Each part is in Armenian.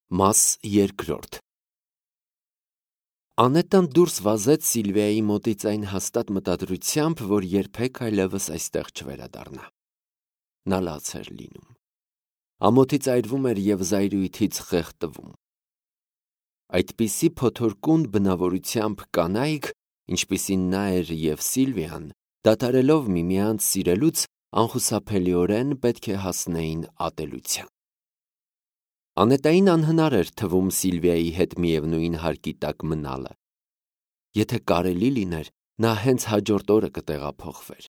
Մաս երկրորդ Անետան դուրս վազեց Սիլվիայի մոտից այն հաստատ մտադրությամբ, որ երբեք այլևս այստեղ չվերադառնա։ Նա լաց էր լինում։ Ամոթից այրվում էր և զայրույթից խեղդվում։ Այդպիսի փոթորկուն բնավորությամբ կանայք, ինչպիսին նա էր և Սիլվիան, դադարելով միմյանց սիրելուց, անխուսափելիորեն պետք է հասնեին ատելության։ Անետային անհնար էր թվում Սիլվիայի հետ միևնույն հարկի տակ մնալը։ Եթե կարելի լիներ, նա հենց հաջորդ օրը կտեղափոխվեր։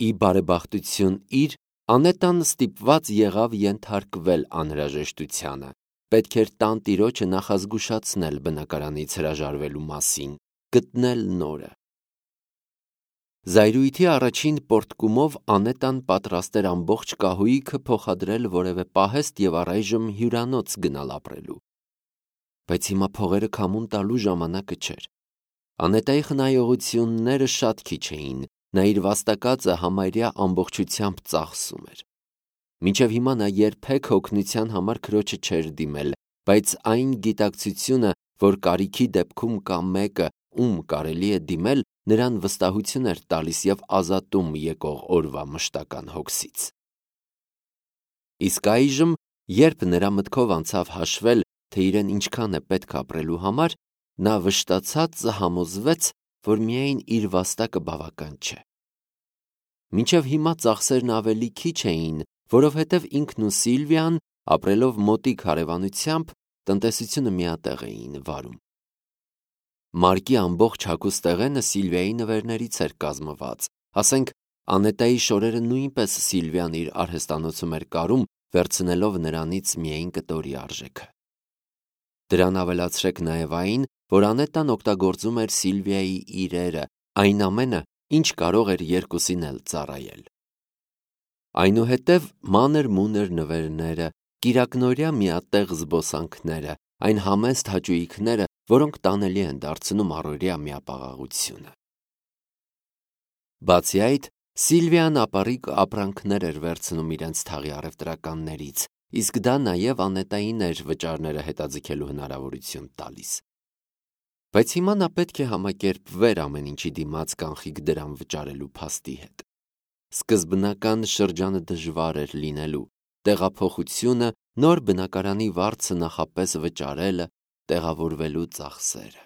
Ի բարեբախտություն իր, Անետան ստիպված եղավ ենթարկվել անհրաժեշտությանը, պետք էր տանտիրոջը նախազգուշացնել բնակարանից հրաժարվելու մասին, գտնել նորը։ Զայրույթի առաջին պոռթկումով Անետան պատրաստ էր ամբողջ կահույքը փոխադրել որևէ պահեստ և առայժմ հյուրանոց գնալ ապրելու։ Բայց հիմա փողերը քամուն տալու ժամանակը չէր։ Անետայի խնայողությունները շատ քիչ էին, նա իր վաստակածը համարյա ամբողջությամբ ծախսում էր։ Մինչև հիմա նա երբեք օգնության համար քրոջը չէր դիմել, բայց այն գիտակցությունը, որ կարիքի դեպքում կա մեկը, ում կարելի է դիմել, նրան վստահություն էր տալիս և ազատում եկող օրվա մշտական հոգսից։ Իսկ այժմ, երբ նրա մտքով անցավ հաշվել, թե իրեն ինչքան է պետք ապրելու համար, նա վշտացած համոզվեց, որ միայն իր վաստակը բավական չէ։ Մինչև հիմա ծախսերն ավելի քիչ էին, որովհետև ինքն ու Սիլվիան, ապրելով մոտիկ հարևանությամբ, տնտեսությունը միատեղ էին վարում։ Մարկի ամբողջ հագուստեղենը Սիլվիայի նվերներից էր կազմված, ասենք Անետայի շորերը նույնպես Սիլվիան իր արհեստանոցում էր կարում, վերցնելով նրանից միայն կտորի արժեքը։ Դրան ավելացրեք նաև այն, որ Անետան օգտագործում էր Սիլվիայի իրերը, այն ամենը, ինչ կարող էր երկուսին էլ ծառայել։ Այնուհետև մանր-մունր նվերները, կիրակնօրյա միատեղ զբոսանքները, այն համեստ հաճույքները, որոնք տանելի են դարձնում առօրյա միապաղաղությունը։ Բացի այդ, Սիլվիան ապառիկ ապրանքներ էր վերցնում իրենց թաղի առևտրականներից, իսկ դա նաև Անետային էր վճարները հետաձգելու հնարավորություն տալիս։ Բայց հիմա նա պետք է համակերպվեր ամեն ինչի դիմաց կանխիկ դրամ վճարելու փաստի հետ։ Սկզբնական շրջանը դժվար էր լինելու, տեղափոխությունը, նոր բնակարանի վարձը նախապես վճարելը, տեղավորվելու ծախսերը։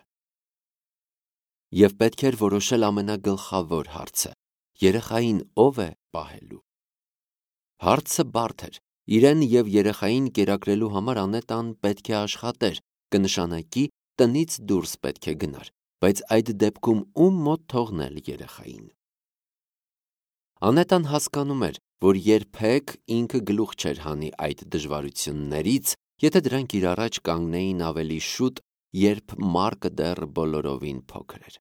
Եվ պետք էր որոշել ամենագլխավոր հարցը՝ երեխային ով է պահելու։ Հարցը բարդ էր, իրեն և երեխային կերակրելու համար Անետան պետք է աշխատեր, կնշանակի տնից դուրս պետք է գնար, բայց այդ դեպքում ում մոտ թողնել երեխային։ Անետան հասկանում էր, որ երբեք ինքը գլուխ չէր հանի այդ դժվարություններից, եթե դրանք իր առաջ կանգնեին ավելի շուտ, երբ Մարկը դեռ բոլորովին փոքր էր։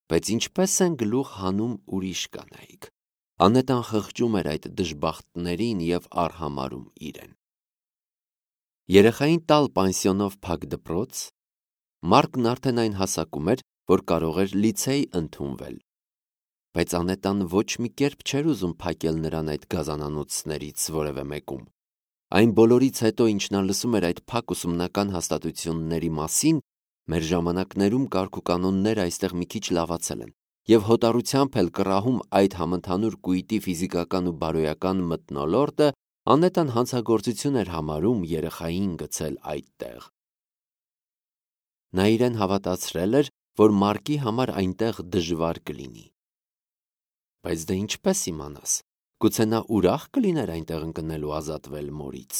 Բայց ինչպես են գլուխ հանում ուրիշ կանայք։ Անետան խղճում էր այդ դժբախտներին և արհամարհում իրեն։ Երեխային տալ պանսիոնով փակ դպրոց։ Մարկն արդեն այն հասակում էր, որ կարող էր լիցեյ ընդունվել։ Բայց Անետան ոչ մի կերպ չէր ուզում փակել նրան այդ գազանանոցներից որևէ մեկում։ Այն բոլորից հետո, ինչ նա լսում էր այդ փակ ուսումնական հաստատությունների մասին, մեր ժամանակներում կարգուկանոնները այստեղ մի քիչ լավացել են, և հոտառությամբ էլ կռահում այդ համընդհանուր կույտի ֆիզիկական ու բարոյական մթնոլորտը, Անետան հանցագործություն էր համարում երեխային գցել այդտեղ։ Նա իրեն հավատացրել էր, որ Մարկի համար այնտեղ դժվար կլինի։ Բայց դե ինչպես իմանաս, գուցե նա ուրախ կլիներ այնտեղ ընկնել ու ազատվել մորից։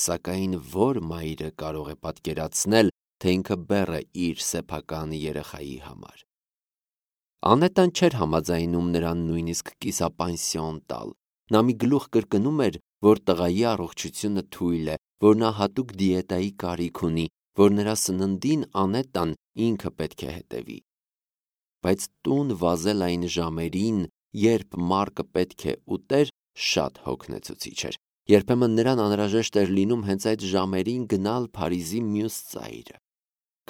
Սակայն որ մայրը կարող է պատկերացնել, թե ինքը բեռ է իր սեփական երեխայի համար։ Անետան չէր համաձայնում նրան նույնիսկ կիսապանսիոն տալ։ Նա մի գլուխ կրկնում էր, որ տղայի առողջությունը թույլ է, որ նա հատուկ դիետայի կարիք ունի, որ նրա սննդին Անետան ինքը պետք է հետևի։ Բայց տուն վազել այն ժամերին, երբ Մարկը պետք է ուտեր, շատ հոգնեցուցիչ էր։ Երբեմն նրան անհրաժեշտ էր լինում հենց այդ ժամերին գնալ Փարիզի մյուս ծայրը։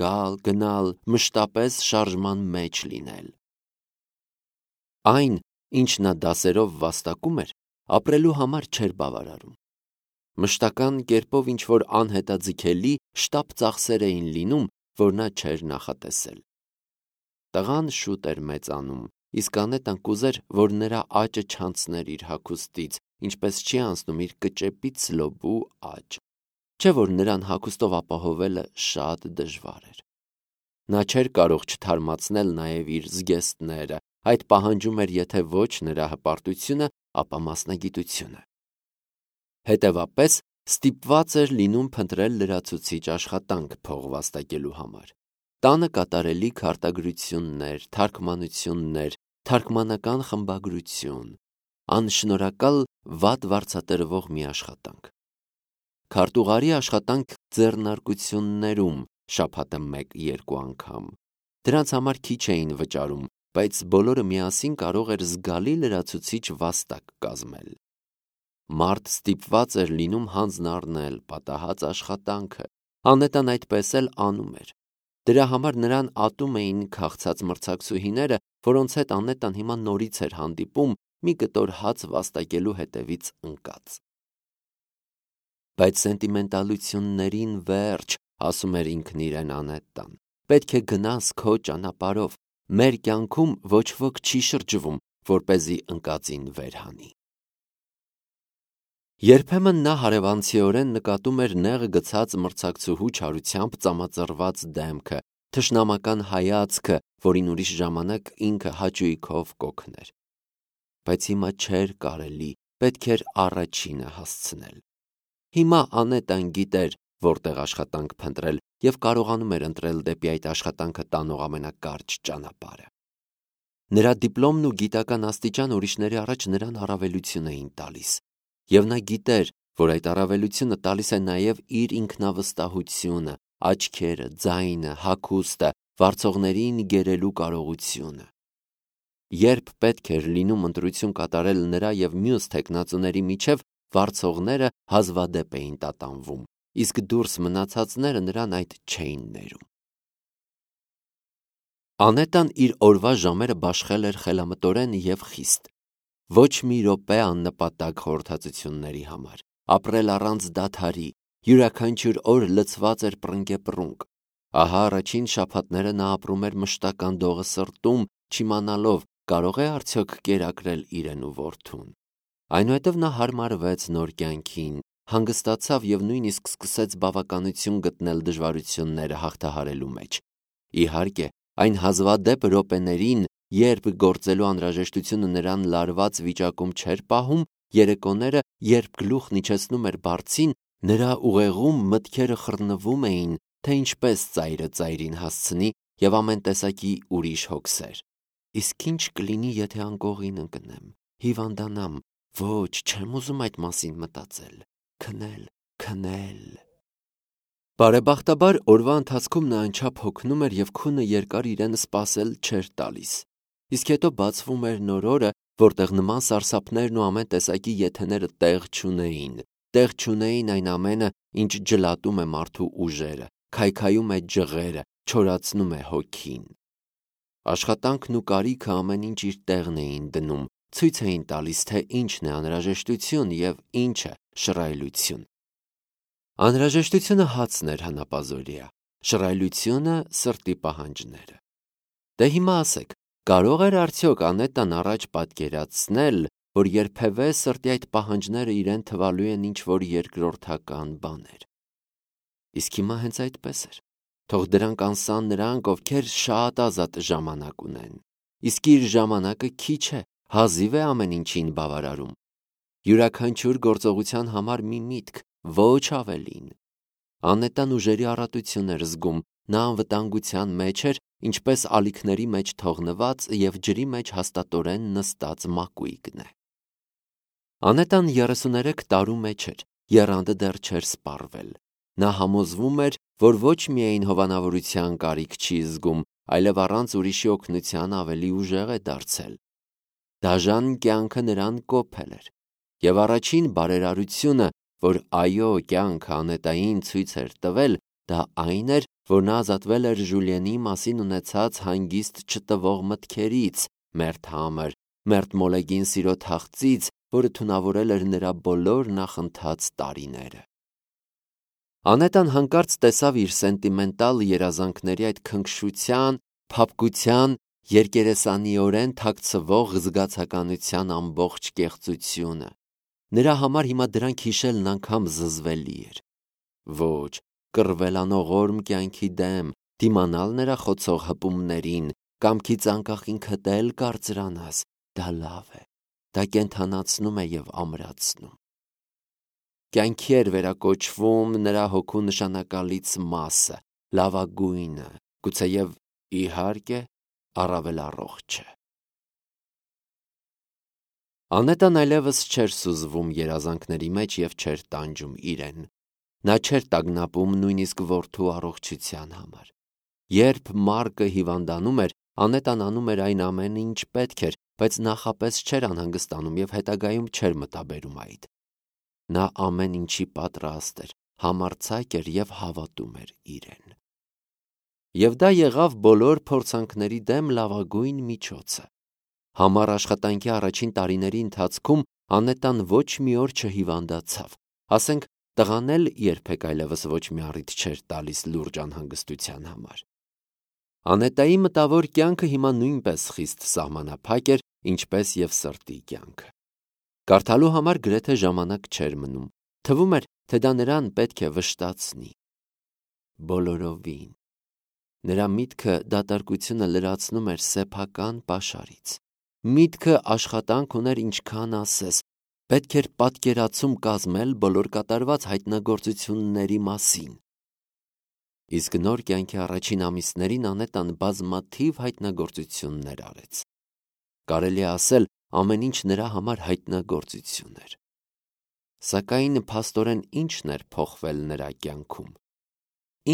Գալ, գնալ, մշտապես շարժման մեջ լինել։ Այն, ինչ նա դասերով վաստակում էր, ապրելու համար չէր բավարարում։ Մշտական կերպով ինչ-որ անհետաձգելի շտապ ծախսեր էին լինում, որ նա չէր նախատեսել։ Տղան շուտ էր մեծանում, իսկ Անետան կուզեր, որ նրա աճը չանցներ իր հագուստից, ինչպես չի անցնում իր կճեպից լոբու աճ, չէ որ նրան հագուստով ապահովելը շատ դժվար էր։ Նա չէր կարող չթարմացնել նաև իր զգեստները, այդ պահանջում էր եթե ոչ նրա հպարտությունը, ապա մասնագիտությունը։ Հետևապես ստիպված էր լինում փնտրել լրացուցիչ աշխատանք փող վաստակելու համար։ Տանը կատարելիք արտագրություններ, թարգմանություններ, թարգմանական խմբագրություն, անշնորհակալ վատ վարձատրվող մի աշխատանք։ Քարտուղարի աշխատանք ձեռնարկություններում շաբաթը 1-2 անգամ։ Դրանց համար քիչ էին վճարում, բայց բոլորը միասին կարող էր զգալի լրացուցիչ վաստակ կազմել։ Մարդ ստիպված էր լինում հանձն առնել պատահած աշխատանքը, Անետան այդպես էլ անում էր։ Դրա համար նրան ատում էին քաղցած մրցակցուհիները, որոնց հետ Անետան հիմա նորից էր հանդիպում մի կտոր հաց վաստակելու հետևից ընկած։ Բայց սենտիմենտալություններին վերջ, ասում էր ինքն իրեն Անետան, պետք է գնաս քո ճանապարհով, մեր կյանքում ոչ ոք չի շրջվում, որպեսզի ընկածին վերհանի։ Երբեմն նա հարևանցիորեն նկատում էր նեղ գցած մրցակցուհու չարությամբ ծամածռված դեմքը, թշնամական հայացքը, որին ուրիշ ժամանակ ինքը հաճույքով կօգներ։ Բայց հիմա չէր կարելի, պետք էր առաջինը հասցնել։ Հիմա Անետան գիտեր, որտեղ աշխատանք փնտրել և կարողանում էր ընտրել դեպի այդ աշխատանքը տանող ամենակարճ ճանապարհը։ Նրա դիպլոմն ու գիտական աստիճան ուրիշների առաջ նրան առավելություն էին տալիս, և նա գիտեր, որ այդ առավելությունը տալիս է նաև իր ինքնավստահությունը, աչքերը, ձայնը, հագուստը, վարձողներին գերելու կարողությունը։ Երբ պետք էր լինում ընտրություն կատարել նրա և մյուս թեկնածուների միջև, վարձողները հազվադեպ էին տատանվում, իսկ դուրս մնացածները նրան այդ չէին ներում։ Անետան իր օրվա ժամերը բաշխել էր խելամտորեն և խիստ։ Ոչ մի րոպե աննպատակ խորհրդածությունների համար, ապրել առանց դադարի, յուրաքանչյուր օր լցված էր պռնգեպռունգ։ Ահա առաջին շաբաթները նա ապրում էր մշտական դողը սրտում, չիմանալով կարող է արդյոք կերակրել իրեն ու որդուն։ Այնուհետև նա հարմարվեց նոր կյանքին, հանգստացավ և նույնիսկ սկսեց բավականություն գտնել դժվարությունները հաղթահարելու մեջ։ Իհարկե, այն հազվադեպ րոպեներին, երբ գործելու անհրաժեշտությունը նրան լարված վիճակում չէր պահում, երեկոները, երբ գլուխն իջեցնում էր բարձին, նրա ուղեղում մտքերը խռնվում էին, թե ինչպես ծայրը ծայրին հասցնի և ամեն տեսակի ուրիշ հոգսեր։ Իսկ ինչ կլինի, եթե անկողին ընկնեմ, հիվանդանամ, ոչ, չեմ ուզում այդ մասին մտածել, քնել։ Բարեբախտաբար օրվա ընթացքում նա անչափ հոգնում էր և քունը երկար իրեն սպասել չէր տալիս։ Իսկ հետո բացվում էր նոր օրը, որտեղ նման սարսափներն ու ամեն տեսակի եթեները տեղ չունեին այն ամենը, ինչ ջլատում է մարդու ուժերը, քայքայում է ջղերը, չորացնում է հոգին։ Աշխատանքն ու կարիքը ամեն ինչ իր տեղն էին դնում, ցույց էին տալիս, թե ինչն է անհրաժեշտություն և ինչը շռայլություն։ Անհրաժեշտությունը հացն էր հանապազօրյա, շռայլությունը սրտի պահանջները։ Դե հիմա ասեք, կարող էր արդյոք Անետան առաջ պատկերացնել, որ երբևէ սրտի այդ պահանջները իրեն թվալու են ինչ-որ երկրորդական բաներ։ Իսկ հիմա հենց այդպես էր։ Թող դրանք անսան նրանք, ովքեր շատ ազատ ժամանակ ունեն։ Իսկ իր ժամանակը քիչ է, հազիվ է ամեն ինչին բավարարում։ Յուրաքանչյուր գործողության համար մի միտք, ոչ ավելին։ Անետան ուժերի առատություն էր զգում, նա անվտանգության մեջ էր, ինչպես ալիքների մեջ թողնված և ջրի մեջ հաստատորեն նստած մակույկն է։ Անետան 33 տարու մեջ էր, եռանդը դեռ չէր սպառվել։ Նա համոզվում էր, որ ոչ միայն հովանավորության կարիք չի զգում, այլև առանց ուրիշի օգնության ավելի ուժեղ է դարձել։ Դաժան կյանքը նրան կոփել էր։ Եվ առաջին բարերարությունը, որ այո կյանքը Անետային ցույց էր տվել, դա այն էր, որ նա ազատվել էր Ժուլիենի մասին ունեցած հանգիստ չտվող մտքերից, մերթ համր, մերթ մոլեգին սիրո թախծից որը թունավորել էր նրա բոլոր նախընթաց տարիները։ Անետան հանկարծ տեսավ իր սենտիմենտալ երազանքների այդ քնքշության, փափկության, երկերեսանիորեն թաքցվող զգացականության ամբողջ կեղծությունը։ Նրա համար հիմա դրանք հիշելն անգամ զզվելի էր։ Ոչ, կռվել անողորմ կյանքի դեմ, դիմանալ նրա խոցող հպումներին, կամքից անկախ ինքդ էլ կարծրանաս, դա լավ է, դա կենդանացնում է և ամրացնում։ Կյանքի էր վերակոչվում նրա հոգու նշանակալից մասը, լավագույնը, գուցեև իհարկե առավել առողջը։ Անետան այլևս չէր սուզվում երազանքների մեջ և չէր տանջում իրեն։ Նա չէր տագնապում նույնիսկ որդու առողջության համար։ Երբ Մարկը հիվանդանում էր, Անետան անում էր այն ամենը, ինչ պետք էր, բայց նախապես չէր անհանգստանում և հետագայում չէր մտաբերում այդ։ Նա ամեն ինչի պատրաստ էր, համարձակ էր և հավատում էր իրեն։ Եվ դա եղավ բոլոր փորձանքների դեմ լավագույն միջոցը։ Համառ աշխատանքի առաջին տարիների ընթացքում Անետան ոչ մի օր չհիվանդացավ, ասենք տղան էլ երբեք այլևս ոչ մի առիթ չէր տալիս լուրջ անհանգստության համար։ Անետայի մտավոր կյանքը հիմա նույնպես խիստ սահմանափակ էր, ինչպես և սրտի կյանքը։ Կարդալու համար գրեթե ժամանակ չէր մնում, թվում էր, թե դա նրան պետք է վշտացնի։ Բոլորովին։ Նրա միտքը դատարկությունը լրացնում էր սեփական պաշարից։ Միտքը աշխատանք ուներ ինչքան ասես, պետք էր պատկերացում կազմել բոլոր կատարված հայտնագործությունների մասին։ Իսկ նոր կյանքի առաջին ամիսներին Անետան բազմաթիվ հայտնագործություններ արեց։ Կարելի է ասել, ամեն ինչ նրա համար հայտնագործություն էր։ Սակայն փաստորեն ինչն էր փոխվել նրա կյանքում։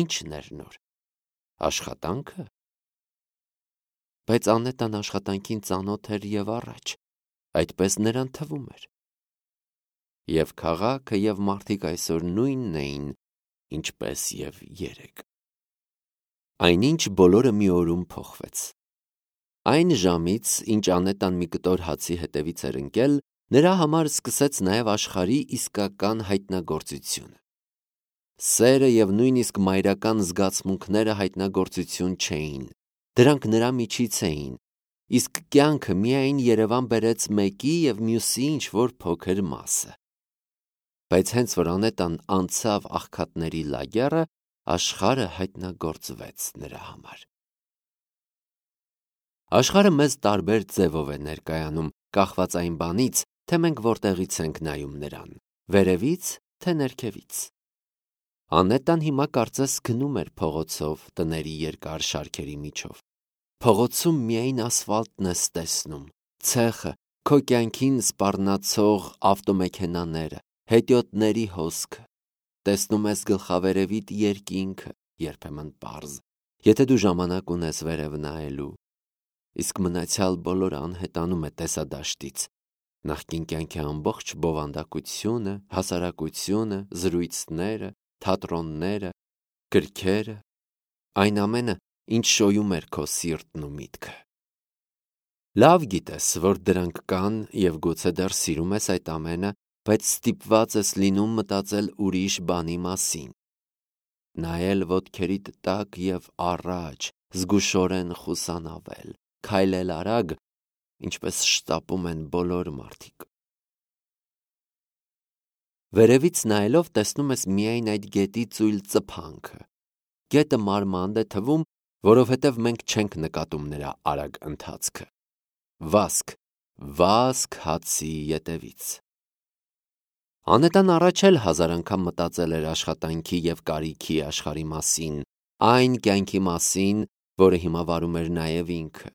Ինչն էր նոր։ Աշխատանքը։ Բայց Անետան աշխատանքին ծանոթ էր և առաջ, այդպես նրան թվում էր։ Եվ քաղաքը և մարդիկ այսօր նույնն էին, ինչպես և երեկ։ Այնինչ բոլորը մի օրում փոխվեց։ Այն ժամից, ինչ Անետան մի կտոր հացի հետևից էր ընկել, նրա համար սկսեց նաև աշխարհի իսկական հայտնագործությունը։ Սերը և նույնիսկ մայրական զգացմունքները հայտնագործություն չէին, դրանք նրա միջից էին, իսկ կյանքը միայն Երևան բերեց մեկի և մյուսի ինչ-որ փոքր մասը։ Բայց հենց որ Անետան անցավ աղքատների լագեռը, աշխարհը հայտնագործվեց նրա համար։ Աշխարհը մեզ տարբեր ձևով է ներկայանում, կախված այն բանից, թե մենք որտեղից ենք նայում նրան, վերևից, թե ներքևից։ Անետան հիմա կարծես գնում էր փողոցով տների երկար շարքերի միջով։ Փողոցում միայն ասֆալտն ես տեսնում, ցեխը, քո կյանքին սպառնացող ավտոմեքենաները, հետիոտների հոսքը։ Տեսնում ես գլխավերևիդ երկինքը, երբեմն պարզ, եթե դու ժամանակ ունես վերև նայելու, իսկ մնացյալ բոլորը անհետանում է տեսադաշտից։ Նախկին կյանքի ամբողջ բովանդակությունը, հասարակությունը, զրույցները, թատրոնները, գրքերը, այն ամենը, ինչ շոյում էր քո սիրտն ու միտքը։ Լավ գիտես, որ դրանք կան և գուցե դեռ սիրում ես այդ ամենը, բայց ստիպված ես լինում մտածել ուրիշ բանի մասին։ Նայել ոտքերիդ տակ և առաջ, զգուշորեն խուսանավել, քայլել արագ, ինչպես շտապում են բոլոր մարդիկ։ Վերևից նայելով տեսնում ես միայն այդ գետի ծույլ ծփանքը։ Գետը մարմանդ է թվում, որովհետև մենք չենք նկատում նրա արագ ընթացքը։ Վազք հացի ետևից։ Անետան առաջ էլ հազար անգամ մտածել էր աշխատանքի և կարիքի աշխարհի մասին, այն կյանքի մասին, որը հիմա վարում էր նաև ինքը։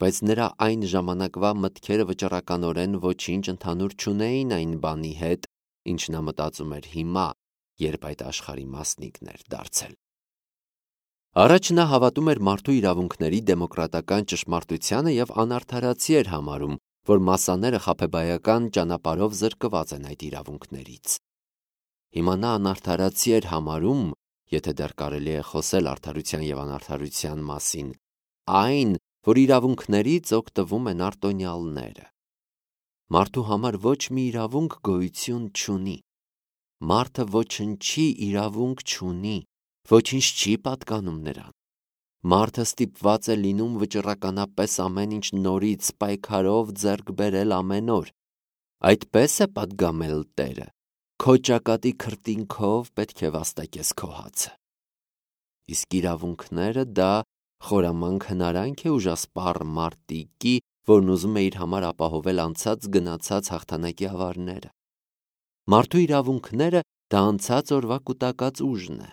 Բայց նրա այն ժամանակվա մտքերը վճռականորեն ոչինչ ընդհանուր չունեին այն բանի հետ, ինչ նա մտածում էր հիմա, երբ այդ աշխարհի մասնիկն էր դարձել։ Առաջ նա հավատում էր մարդու իրավունքների դեմոկրատական ճշմարտությանը և անարդարացի էր համարում, որ մասաները խաբեբայական ճանապարհով զրկված են այդ իրավունքներից։ Հիմա նա անարդարացի էր համարում, եթե դեռ կարելի է խոսել արդարության և անարդարության մասին, այն, որ իրավունքներից օգտվում են արտոնյալները։ Մարդու համար ոչ մի իրավունք գոյություն չունի։ Մարդը ոչնչի իրավունք չունի, ոչինչ չի պատկանում նրան։ Մարդը ստիպված է լինում վճռականապես ամեն ինչ նորից պայքարով ձեռք բերել ամեն օր։ Այդպես է պատգամել Տերը։ Քո ճակատի քրտինքով պետք է վաստակես քո հացը։ Իսկ իրավունքները դա խորամանկ հնարանք է ուժասպառ մարտիկի, որն ուզում է իր համար ապահովել անցած գնացած հաղթանակի ավարները։ Մարդու իրավունքները դա անցած օրվա կուտակած ուժն է,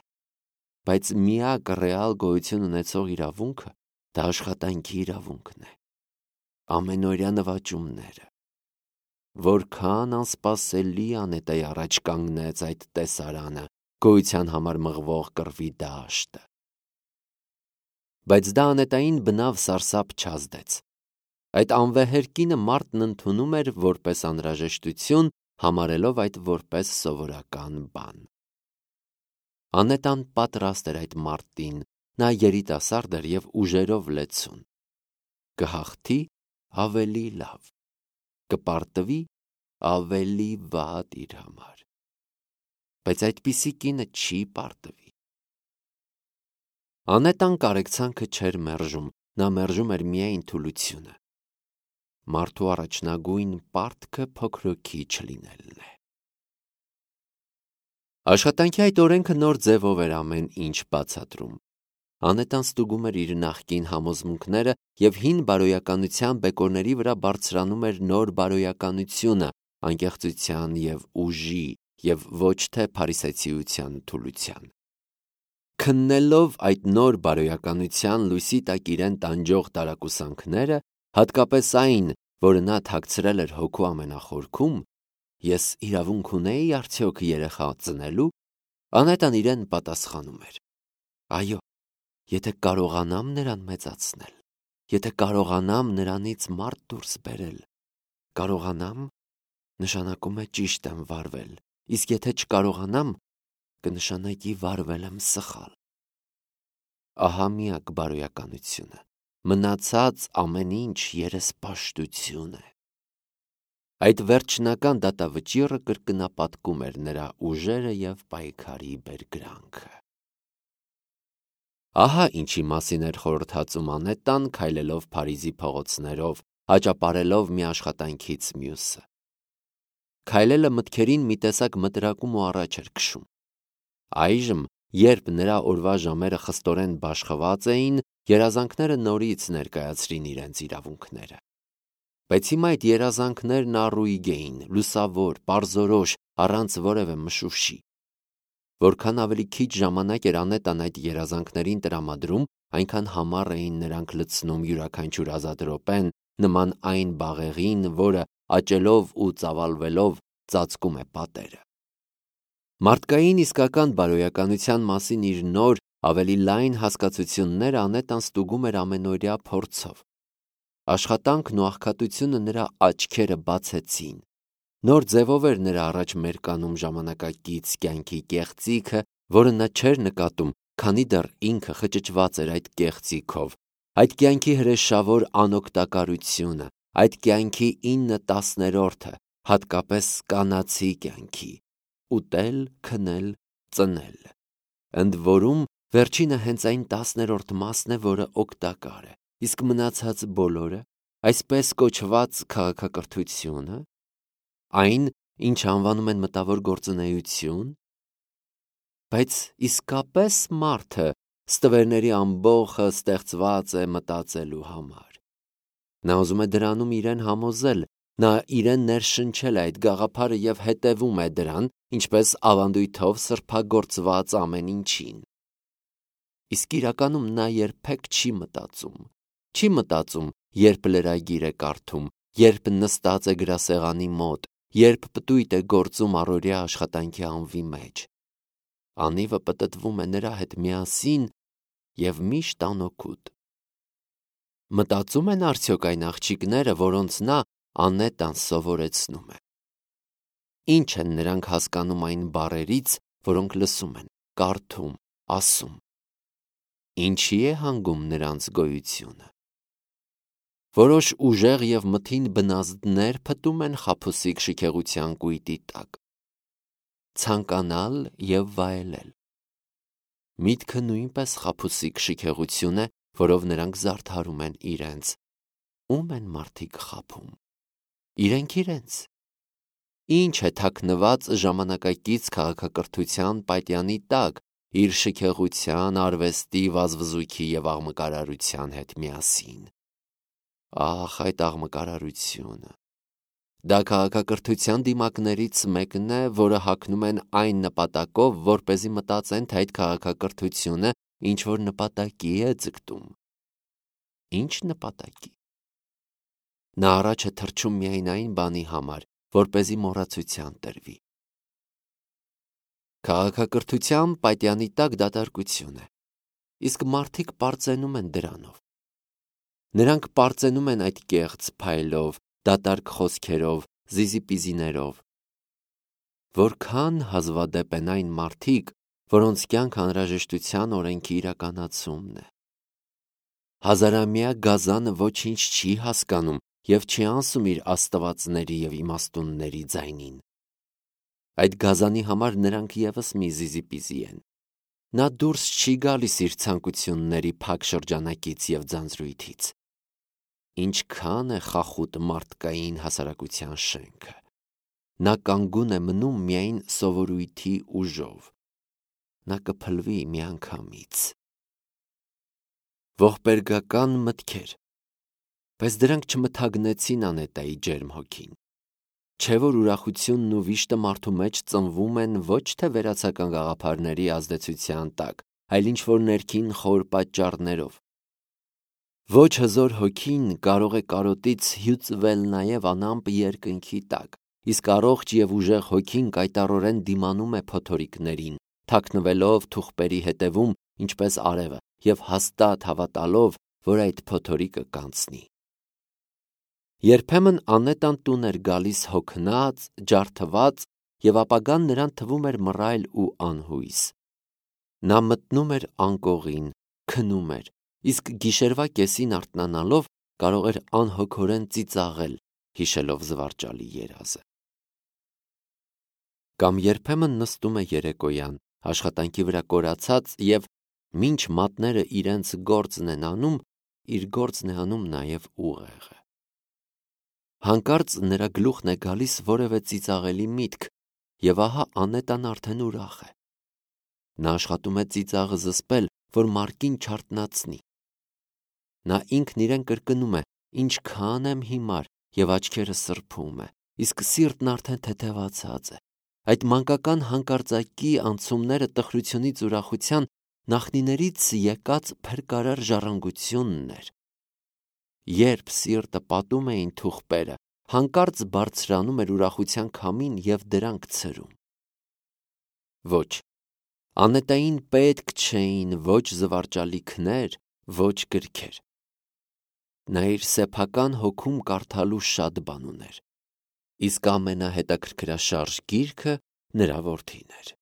բայց միակ ռեալ գոյություն ունեցող իրավունքը դա աշխատանքի իրավունքն է։ Ամենօրյա նվաճումները։ Որքան անսպասելի անետայի առաջ կանգնեց այդ տեսարանը, գոյության համար մղվող կռվի դաշտը։ Բայց դա անետային բնավ սարսափ չազդեց։ Այդ անվեհեր կինը մարդն ընդունում էր որպես անհրաժեշտություն, համարելով այդ որպես սովորական բան։ Անետան պատրաստ էր այդ մարտին, նա երիտասարդ էր և ուժերով լեցուն։ Կհաղթի ավելի լավ, կպարտվի ավելի վատ իր համար։ Բայց այդպիսի կինը չի պարտվի։ Անետան կարեկցանքը չէր մերժում, նա մերժում էր միայն թուլությունը։ Մարդու առաջնագույն պարտքը փոքրոքի չլինելն է։ Աշխատանքի այդ օրենքը նոր ձևով էր ամեն ինչ բացատրում։ Անետան ստուգում էր իր նախկին համոզմունքները և հին բարոյականության բեկորների վրա բարձրանում էր նոր բարոյականությունը, անկեղծության և ուժի, և ոչ թե փարիսեցիության թուլության։ Քննելով այդ նոր բարոյականության լույսի տակ իրեն տանջող տարակուսանքները, հատկապես այն, որը նա թաքցրել էր հոգու ամենախորքում, ես իրավունք ունեի արդյոք երեխա ծնելու, Անետան իրեն պատասխանում էր. այո, եթե կարողանամ նրան մեծացնել, եթե կարողանամ նրանից մարդ դուրս բերել, կարողանամ, նշանակում է ճիշտ եմ վարվել, իսկ եթե չկարողանամ, կնշանակի վարվել եմ սխալ։ Ահա միակ բարոյականությունը, մնացած ամեն ինչ երեսպաշտություն է։ Այդ վերջնական դատավճիռը կրկնապատկում էր նրա ուժերը և պայքարի բերկրանքը։ Ահա ինչի մասին էր խորհրդածում Անետան, քայլելով Փարիզի փողոցներով, հաճապարելով մի աշխատանքից մյուսը։ Քայլելը մտքերին մի տեսակ մտրակում ու առաջ էր քշում։ Այժմ, երբ նրա օրվա ժամերը խստորեն բաշխված էին, երազանքները նորից ներկայացրին իրենց իրավունքները։ Բայց հիմա այդ երազանքներն առույգ էին, լուսավոր, պարզորոշ, առանց որևէ մշուշի։ Որքան ավելի քիչ ժամանակ էր Անետան այդ երազանքներին տրամադրում, այնքան համառ էին նրանք լցնում յուրաքանչյուր ազատ րոպեն, նման այն բաղեղին, որը աճելով ու ծավալվելով ծածկում է պատերը։ Մարդկային իսկական բարոյականության մասին իր նոր, ավելի լայն հասկացությունները Անետան ստուգում էր ամենօրյա փորձով։ Աշխատանքն ու աղքատությունը նրա աչքերը բացեցին։ Նոր ձևով էր նրա առաջ մերկանում ժամանակակից կյանքի կեղծիքը, որը նա չէր նկատում, քանի դեռ ինքը խճճված էր այդ կեղծիքով, այդ կյանքի հրեշավոր անօգտակարությունը, այդ կյանքի 9/10, հատկապես կանացի կյանքի՝ ուտել, քնել, ծնել։ Ընդ որում, վերջինը հենց այն 10-րդ մասն է, որը օգտակար է, իսկ մնացած բոլորը, այսպես կոչված քաղաքակրթությունը, այն, ինչ անվանում են մտավոր գործունեություն, բայց իսկապես մարդը ստվերների ամբոխը ստեղծված է մտածելու համար։ Նա ուզում է դրանում իրեն համոզել, նա իրեն ներշնչել է այդ գաղափարը և հետևում է դրան, ինչպես ավանդույթով սրբագործված ամեն ինչին։ Իսկ իրականում նա երբեք չի մտածում, երբ լրագիր է կարդում, երբ նստած է գրասեղանի մոտ, երբ պտույտ է գործում առօրյա աշխատանքի անվի մեջ։ Անիվը պտտվում է նրա հետ միասին և միշտ անօգուտ։ Մտածում են արդյոք այն աղջիկները, որոնց նա Անետան սովորեցնում է։ Ինչ են նրանք հասկանում այն բառերից, որոնք լսում են, կարդում, ասում։ Ինչի է հանգում նրանց գոյությունը։ Որոշ ուժեղ և մթին բնազդներ փտում են խաբուսիկ շքեղության կույտի տակ։ Ցանկանալ և վայելել։ Միտքը նույնպես խաբուսիկ շքեղություն է, որով նրանք զարդարում են իրենց։ Ում են մարդիկ խաբում։ Իրենք իրենց։ Ինչ է թաքնված ժամանակակից քաղաքակրթության պատյանի տակ, իր շքեղության, արվեստի, վազվզույքի և աղմկարարության հետ միասին։ Ահ, այդ աղմկարարությունը։ Դա քաղաքակրթության դիմակներից մեկն է, որը հագնում են այն նպատակով, որպեսզի մտածեն, թե այդ քաղաքակրթությունը ինչ-որ նպատակի է ձգտում։ Ինչ նպատակի։ Նա առաջ է թռչում միայն այն բանի համար, որպեսզի մոռացության տրվի։ Քաղաքակրթության պատյանի տակ դատարկություն է, իսկ մարդիկ պարծենում են դրանով։ Նրանք պարծենում են այդ կեղծ փայլով, դատարկ խոսքերով, զիզիպիզիներով։ Որքան հազվադեպ են այն մարդիկ, որոնց կյանք անհրաժեշտության օրենքի իրականացումն է։ Հազարամյա գազանը ոչինչ չի հասկանում և չի անսում իր աստվածների և իմաստունների ձայնին։ Այդ գազանի համար նրանք ևս մի զիզիպիզի են։ Նա դուրս չի գալիս իր ցանկությունների փակ շրջանակից և ձանձրույթից։ Ինչքան է խախուտ մարդկային հասարակության շենքը։ Նա կանգուն է մնում միայն սովորույթի ուժով։ Նա կփլվի միանգամից։ Ողբերգական մտքեր, բայց դրանք չմթագնեցին Անետայի ջերմ հոգին։ Չէ՞ որ ուրախությունն ու վիշտը մարդու մեջ ծնվում են ոչ թե վերացական գաղափարների ազդեցության տակ, այլ ինչ-որ ներքին խոր պատճառներով։ Ոչ հզոր հոգին կարող է կարոտից հյուծվել նաև անամպ երկնքի տակ, իսկ առողջ և ուժեղ հոգին կայտառորեն դիմանում է փոթորիկներին, թաքնվելով թուղպերի հետևում, ինչպես արևը, և հաստատ հավատալով, որ այդ փոթորիկը կանցնի։ Երբեմն Անետան տուն էր գալիս հոգնած, ջարդված, և ապագան նրան թվում էր մռայլ ու անհույս։ Նա մտնում էր անկողին, քնում էր, իսկ գիշերվա կեսին արթնանալով կարող էր անհոգորեն ծիծաղել, հիշելով զվարճալի երազը։ Կամ երբեմն նստում է երեկոյան, աշխատանքի վրա կորացած և մինչ մատները իրենց գործն են անում, իր գործն է անում նաև ուղեղը։ Հանկարծ նրա գլուխն է գալիս որևէ ծիծաղելի միտք, և ահա Անետան արդեն ուրախ է։ Նա աշխատում է ծիծաղը զսպել, որ մարկին չարթնացնի։ Նա ինքն իրեն կրկնում է. «Ինչքան եմ հիմար», և աչքերը սրբում է, իսկ սիրտն արդեն թեթևացած է։ Այդ մանկական հանկարծակի անցումները տխրությունից ուրախության նախնիներից եկած փրկարար ժառանգությունն էր։ Երբ սիրտը պատում էին թուղպերը, հանկարծ բարձրանում էր ուրախության քամին և դրանք ցրում։ Ոչ, Անետային պետք չէին ոչ զվարճալիքներ, ոչ գրքեր։ Նա իր սեփական հոգում կարդալու շատ բան ուներ, իսկ ամենահետաքրքրաշարժ գիրքը նրա որդին էր։